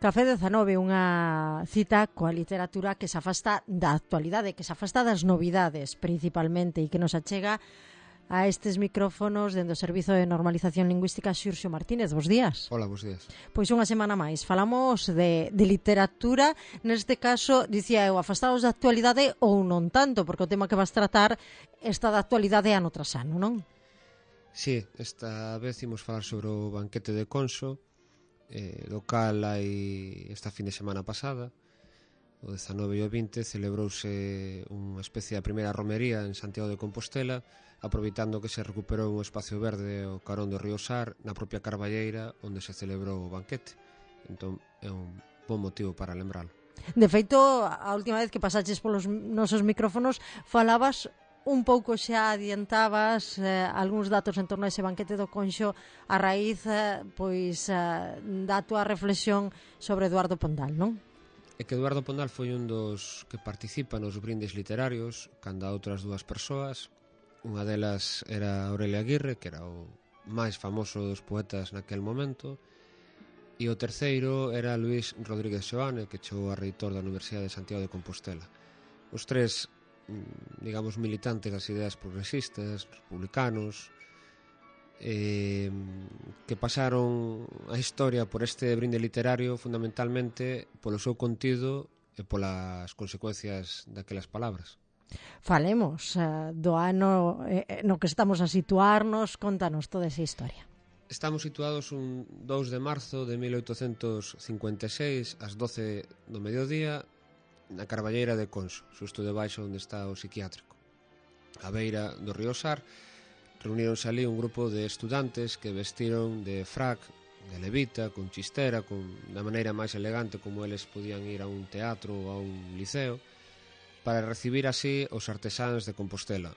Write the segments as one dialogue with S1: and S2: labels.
S1: Café 19, unha cita coa literatura que se afasta da actualidade, que se afasta das novidades principalmente e que nos achega a estes micrófonos dende o Servizo de Normalización Lingüística Xurxo Martínez. Bos días.
S2: Hola, bos días.
S1: Pois unha semana máis. Falamos de literatura, neste caso, dicía eu, afastados da actualidade ou non tanto, porque o tema que vas tratar está da actualidade ano tras ano, non?
S2: Sí, esta vez imos falar sobre o banquete de Conso, do cal hai esta fin de semana pasada, o 19 e o 20, celebrouse unha especie de primeira romería en Santiago de Compostela, aproveitando que se recuperou un espacio verde ao carón do río Sar, na propia Carballeira, onde se celebrou o banquete. Entón, é un bon motivo para lembralo.
S1: De feito, a última vez que pasaches polos nosos micrófonos, falabas un pouco, xa adiantabas algúns datos en torno a ese banquete do Conxo a raíz da túa reflexión sobre Eduardo Pondal, non?
S2: É que Eduardo Pondal foi un dos que participa nos brindes literarios, canda outras dúas persoas. Unha delas era Aurelia Aguirre, que era o máis famoso dos poetas naquel momento, e o terceiro era Luís Rodríguez Seoane, que chegou a reitor da Universidade de Santiago de Compostela. Os tres, digamos, militantes das ideas progresistas, republicanos, que pasaron a historia por este brinde literario fundamentalmente polo seu contido e polas consecuencias daquelas palabras.
S1: Falemos do ano no que estamos a situarnos, contanos toda esa historia.
S2: Estamos situados un 2 de marzo de 1856 ás 12 do mediodía na Carballeira de Conso, xusto debaixo onde está o psiquiátrico. A beira do río Sar reuníronse ali un grupo de estudantes que vestiron de frac, de levita, con chistera, da maneira máis elegante como eles podían ir a un teatro ou a un liceo, para recibir así os artesáns de Compostela.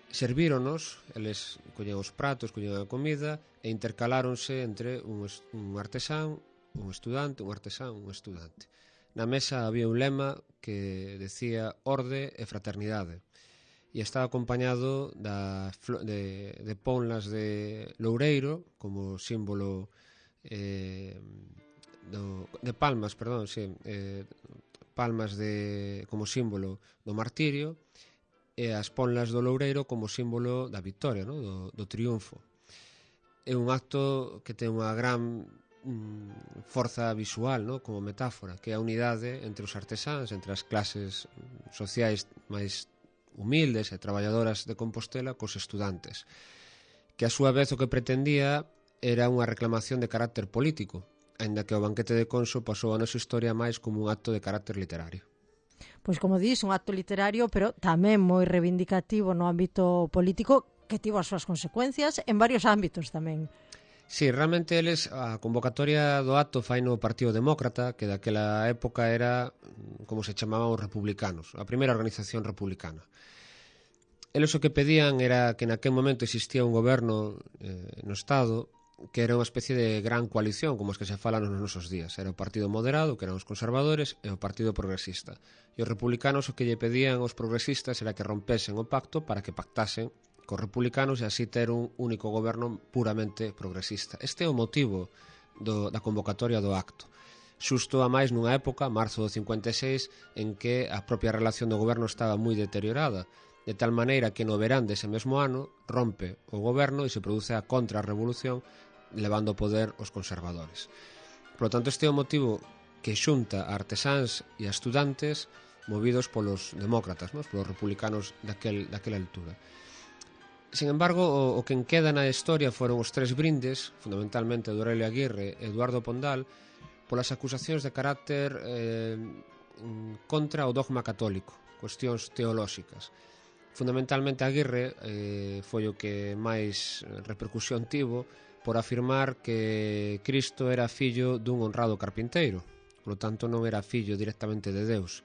S2: Servíronos, eles collen os pratos, collen a comida e intercaláronse entre un artesán, un estudante, un artesán, un estudante. Na mesa había un lema que decía orde e fraternidade e estaba acompañado de ponlas de loureiro como símbolo de palmas, perdón, sí, palmas como símbolo do martirio e as ponlas do loureiro como símbolo da victoria, no? do triunfo. É un acto que ten unha gran forza visual, no? Como metáfora, que é a unidade entre os artesáns, entre as clases sociais máis humildes e traballadoras de Compostela cos estudantes, que a súa vez o que pretendía era unha reclamación de carácter político, aínda que o banquete de Conso pasou a nosa historia máis como un acto de carácter literario.
S1: Pois como dís, un acto literario, pero tamén moi reivindicativo no ámbito político, que tivo as súas consecuencias en varios ámbitos tamén.
S2: Sí, realmente eles, a convocatoria do acto fai no Partido Demócrata, que daquela época era, como se chamaban os republicanos, a primeira organización republicana. Eles o que pedían era que naquel momento existía un goberno no Estado que era unha especie de gran coalición, como as que se falan nos nosos días. Era o Partido Moderado, que eran os conservadores, e o Partido Progresista. E os republicanos o que lle pedían aos progresistas era que rompesen o pacto para que pactasen cos republicanos e así ter un único goberno puramente progresista. Este é o motivo da convocatoria do acto. Xusto a máis nunha época, marzo do 56, en que a propia relación do goberno estaba moi deteriorada, de tal maneira que no verán dese mesmo ano rompe o goberno e se produce a contrarrevolución levando o poder os conservadores. Por lo tanto, este é o motivo que xunta a artesáns e a estudantes movidos polos demócratas, polos republicanos daquela altura. Sin embargo, o que queda na historia foron os tres brindes, fundamentalmente de Aurelia Aguirre e Eduardo Pondal, polas acusacións de carácter contra o dogma católico, cuestións teolóxicas. Fundamentalmente Aguirre foi o que máis repercusión tivo por afirmar que Cristo era fillo dun honrado carpinteiro, por lo tanto non era fillo directamente de Deus.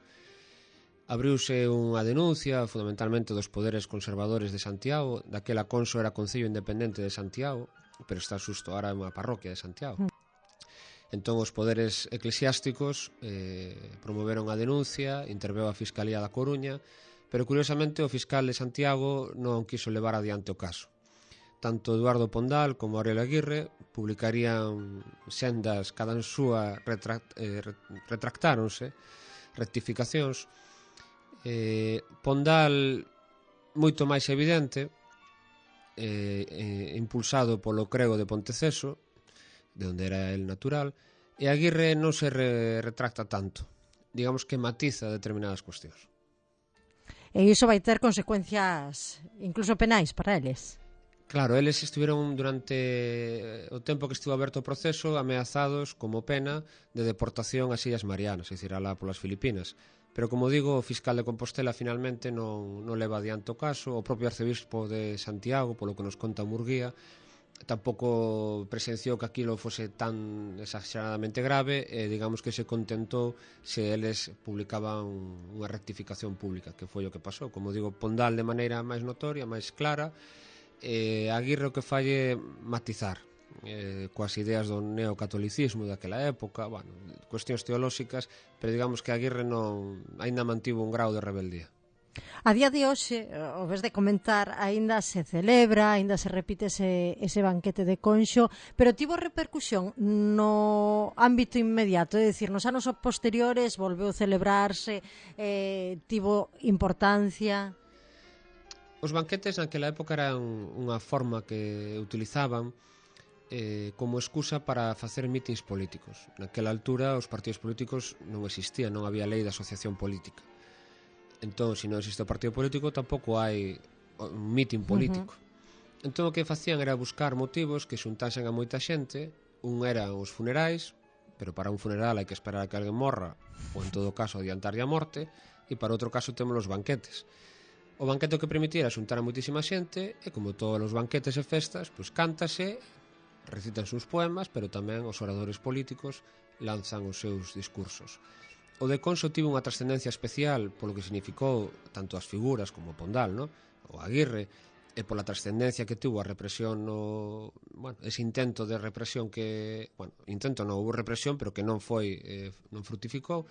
S2: Abriuse unha denuncia fundamentalmente dos poderes conservadores de Santiago, daquela Conso era Concello Independente de Santiago, pero está xusto ahora unha parroquia de Santiago. Entón os poderes eclesiásticos promoveron a denuncia, interveu a Fiscalía da Coruña, pero curiosamente o fiscal de Santiago non quiso levar adiante o caso. tanto Eduardo Pondal como Aurelio Aguirre publicarían sendas, cada en súa retractáronse, rectificacións. Pondal moito máis evidente, impulsado polo crego de Ponteceso, de onde era el natural, e Aguirre non se retracta tanto, digamos que matiza determinadas cuestións.
S1: E iso vai ter consecuencias incluso penais para eles.
S2: Claro, eles estiveron durante o tempo que estivo aberto o proceso ameazados como pena de deportación ás Illas Marianas, é dicir, alá polas Filipinas. Pero, como digo, o fiscal de Compostela finalmente non leva adiante o caso. O propio arcebispo de Santiago, polo que nos conta Murguía, tampouco presenciou que aquilo fose tan exageradamente grave e digamos que se contentou se eles publicaban unha rectificación pública, que foi o que pasou. Como digo, Pondal de maneira máis notoria, máis clara, Aguirre o que falle matizar coas ideas do neocatolicismo daquela época, bueno, cuestións teolóxicas, pero digamos que Aguirre non aínda mantivo un grau de rebeldía.
S1: A día de hoxe, o vez de comentar, aínda se celebra, aínda se repite ese banquete de Conxo, pero tivo repercusión no ámbito inmediato, é dicir, nos anos posteriores volveu celebrarse, tivo importancia.
S2: Os banquetes naquela época eran unha forma que utilizaban como excusa para facer mítins políticos. Naquela altura os partidos políticos non existían, non había lei de asociación política. Entón, se non existe o partido político, tampouco hai un mitin político. Entón, o que facían era buscar motivos que xuntasen a moita xente. Un eran os funerais, pero para un funeral hai que esperar a que alguén morra, ou en todo caso adiantarlle a morte, e para outro caso temos os banquetes. O banquete que permitira xuntar a moitísima xente, e como todos os banquetes e festas, pois cántase, recitanse uns poemas, pero tamén os oradores políticos lanzan os seus discursos. O de Conxo tivo unha trascendencia especial polo que significou tanto as figuras como Pondal, no? O Aguirre, e pola trascendencia que tuvo a represión ese intento de represión que, intento non, houve represión, pero que non frutificou.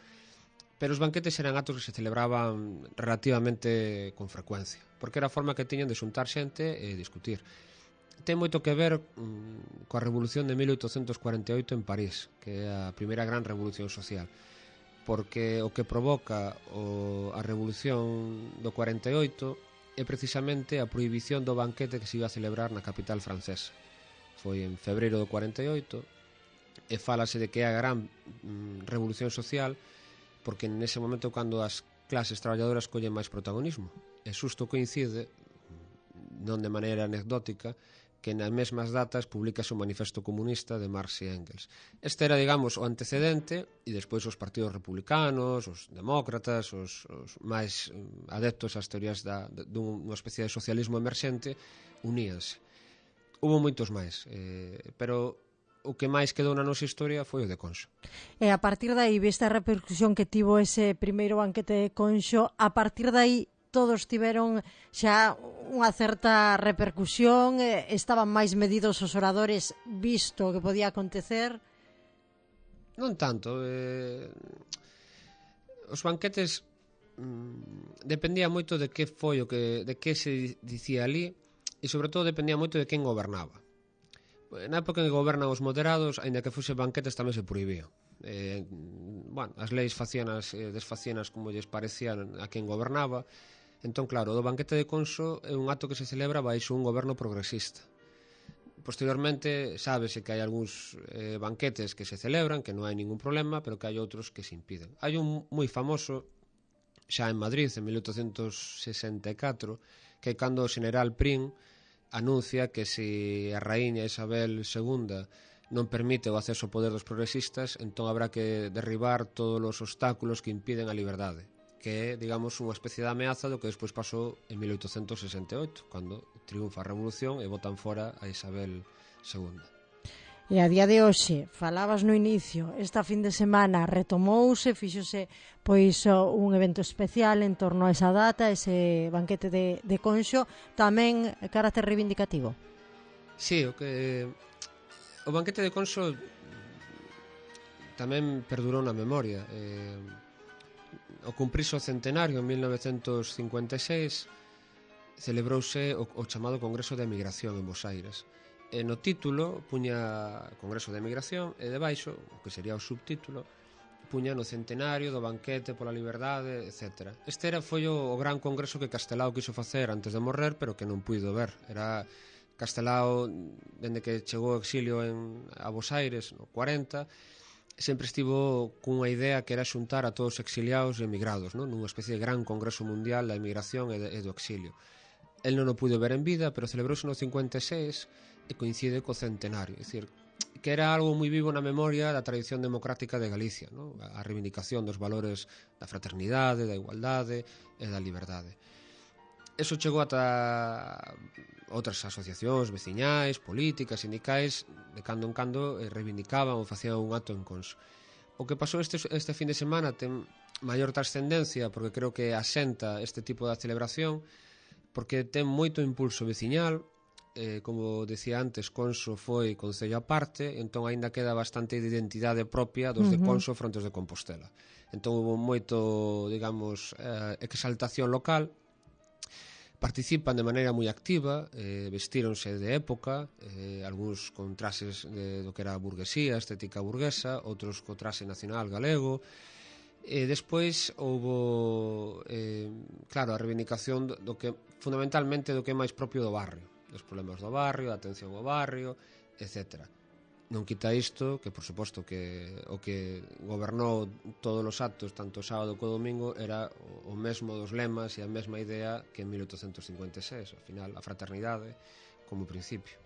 S2: Pero os banquetes eran actos que se celebraban relativamente con frecuencia, porque era a forma que tiñan de xuntar xente e discutir. Ten moito que ver coa Revolución de 1848 en París, que é a primeira gran revolución social, porque o que provoca a Revolución do 48 é precisamente a prohibición do banquete que se iba a celebrar na capital francesa. Foi en febreiro do 48 e fálase de que é a gran revolución social, porque nese momento cando as clases traballadoras collen máis protagonismo. E xusto coincide, non de maneira anecdótica, que nas mesmas datas publicase o Manifesto Comunista de Marx e Engels. Este era, digamos, o antecedente, e despois os partidos republicanos, os demócratas, os máis adeptos ás teorías dunha especie de socialismo emerxente, uníanse. Hubo moitos máis, pero o que máis quedou na nosa historia foi o de Conxo.
S1: E a partir de aí, vista a repercusión que tivo ese primeiro banquete de Conxo, a partir de aí todos tiveron xa unha certa repercusión, estaban máis medidos os oradores visto o que podía acontecer?
S2: Non tanto. Os banquetes dependía moito de que foi de que se dicía ali, e sobre todo dependía moito de quen gobernaba. Na época en que gobernan os moderados, aínda que fose banquetes, tamén se prohibían. As leis facíanas desfacíanas como lles parecían a quen gobernaba. Entón, claro, o banquete de Conxo é un acto que se celebra baixo un goberno progresista. Posteriormente, sábese que hai algúns banquetes que se celebran, que non hai ningún problema, pero que hai outros que se impiden. Hai un moi famoso, xa en Madrid, en 1864, que é cando o general Prim anuncia que se a raíña Isabel II non permite o acceso ao poder dos progresistas, entón habrá que derribar todos os obstáculos que impiden a liberdade, que é, digamos, unha especie de ameaza do que despois pasou en 1868, cando triunfa a revolución e botan fora a Isabel II.
S1: E a día de hoxe, falabas no inicio, esta fin de semana retomouse, fíxose pois un evento especial en torno a esa data, ese banquete de Conxo, tamén carácter reivindicativo.
S2: Sí, o banquete de Conxo tamén perdurou na memoria. O cumprirse o centenario en 1956, celebrouse o chamado Congreso de Emigración en Bos Aires. E no título puña Congreso de Emigración e debaixo, o que sería o subtítulo, puña no centenario do banquete pola liberdade, etc. Este foi o gran congreso que Castelao quiso facer antes de morrer, pero que non puido ver. Era Castelao, dende que chegou ao exilio a Bos Aires, no 40, sempre estivo cunha idea que era xuntar a todos os exiliados e emigrados, non? Nunha especie de gran congreso mundial da emigración e do exilio. El non o puido ver en vida, pero celebrouse no 56 e coincide co centenario. É dicir, que era algo moi vivo na memoria da tradición democrática de Galicia, non? A reivindicación dos valores da fraternidade, da igualdade e da liberdade. Eso chegou ata outras asociacións veciñais, políticas, sindicais, de cando en cando reivindicaban ou facían un acto en Conso. O que pasou este fin de semana ten maior trascendencia, porque creo que asenta este tipo de celebración, porque ten moito impulso veciñal. Como decía antes, Conso foi concello aparte, entón aínda queda bastante de identidade propia dos de Conso frontes de Compostela. Entón houve moito, digamos, exaltación local. Participan de maneira moi activa, vestíronse de época, algúns con traxes do que era a burguesía, estética burguesa, outros co traxe nacional galego. E despois houve, claro, a reivindicación do que, fundamentalmente, do que é máis propio do barrio, dos problemas do barrio, da atención ao barrio, etc. Non quita isto, que por suposto que o que gobernou todos os actos, tanto o sábado como o domingo, era o mesmo dos lemas e a mesma idea que en 1856, ao final, a fraternidade como principio.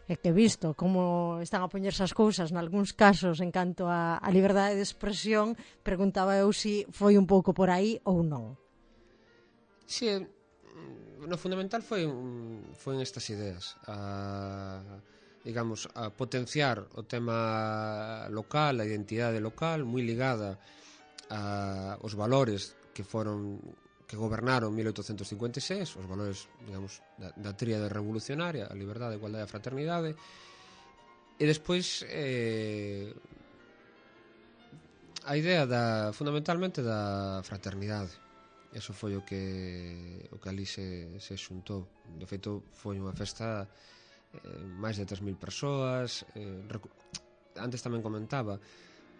S1: É que visto como están a poñerse as cousas nalgúns casos en canto a liberdade de expresión, preguntaba eu se foi un pouco por aí ou non.
S2: Si, no fundamental foi en estas ideas, digamos, a potenciar o tema local, a identidade local, moi ligada aos valores que gobernaron 1856, os valores, digamos, da tríade revolucionaria, a liberdade, a igualdade e a fraternidade, e despois a idea fundamentalmente da fraternidade. Eso foi o que ali se xuntou. De feito, foi unha festa máis de 3.000 persoas. Antes tamén comentaba,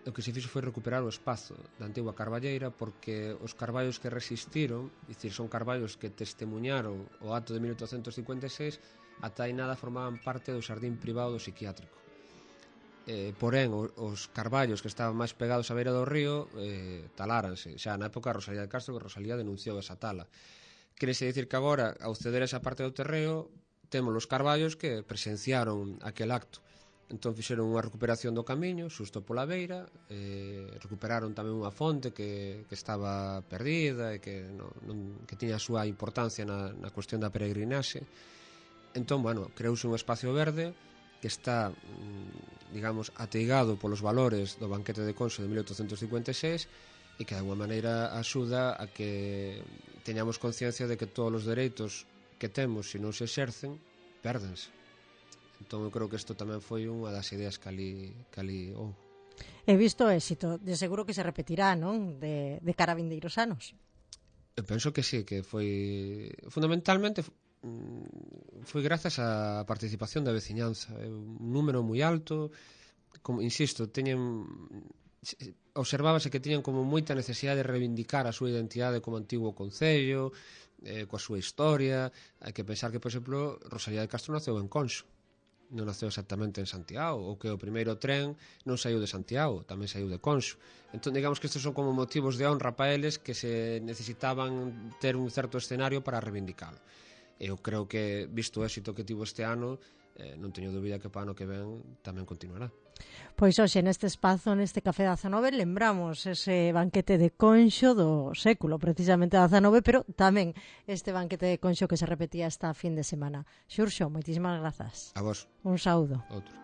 S2: o que se fixo foi recuperar o espazo da antigua carballeira, porque os carballos que resistiron, dicir, son carballos que testemunharon o acto de 1856, ata aí nada formaban parte do xardín privado do psiquiátrico. Porén, os carballos que estaban máis pegados á beira do río taláranse. Xa na época Rosalía de Castro, que Rosalía denunciou esa tala. Querese dicir que agora, ao ceder esa parte do terreo, temos os carballos que presenciaron aquel acto. Entón fixeron unha recuperación do camiño xusto pola beira, recuperaron tamén unha fonte que estaba perdida e que tiña a súa importancia na cuestión da peregrinaxe. Entón, bueno, creouse un espacio verde que está, digamos, ateigado polos valores do banquete de Conso de 1856 e que de alguma maneira axuda a que teñamos conciencia de que todos os dereitos que temos, se non se exercen, pérdense. Entón eu creo que isto tamén foi unha das ideas que ali houve.
S1: He visto éxito, de seguro que se repetirá, non? De cara a vindeiros anos.
S2: Eu penso que sí, que foi fundamentalmente foi grazas á participación da veciñanza, un número moi alto, como insisto, observábase que tiñan como moita necesidade de reivindicar a súa identidade como antigo concello, coa súa historia. Hai que pensar que, por exemplo, Rosalía de Castro naceu en Conso, non naceu exactamente en Santiago, ou que o primeiro tren non saiu de Santiago, tamén saiu de Conso. Entón, digamos que estes son como motivos de honra para eles que se necesitaban ter un certo escenario para reivindicalo. Eu creo que, visto o éxito que tivo este ano, non teño dúbida que para o ano que ven tamén continuará.
S1: Pois hoxe neste espazo, neste Café 19, lembramos ese banquete de Conxo do século, precisamente 19, pero tamén este banquete de Conxo que se repetía esta fin de semana. Xurxo, moitísimas grazas.
S2: A vos.
S1: Un saúdo.
S2: Outro.